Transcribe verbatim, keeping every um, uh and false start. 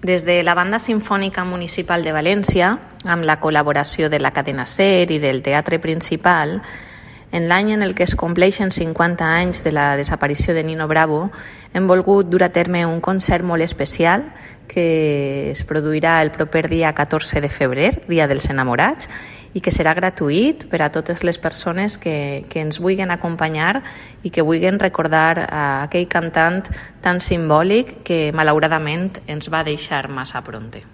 Des de la Banda Simfònica Municipal de València, amb la col·laboració de la Cadena SER i del Teatre Principal, en l'any en el que es compleixen cinquanta anys de la desaparició de Nino Bravo, hem volgut dur a terme un concert molt especial que es produirà el proper dia catorze de febrer, Dia dels Enamorats, i que serà gratuït per a totes les persones que, que ens vulguin acompanyar i que vulguin recordar a aquell cantant tan simbòlic que malauradament ens va deixar massa prompte.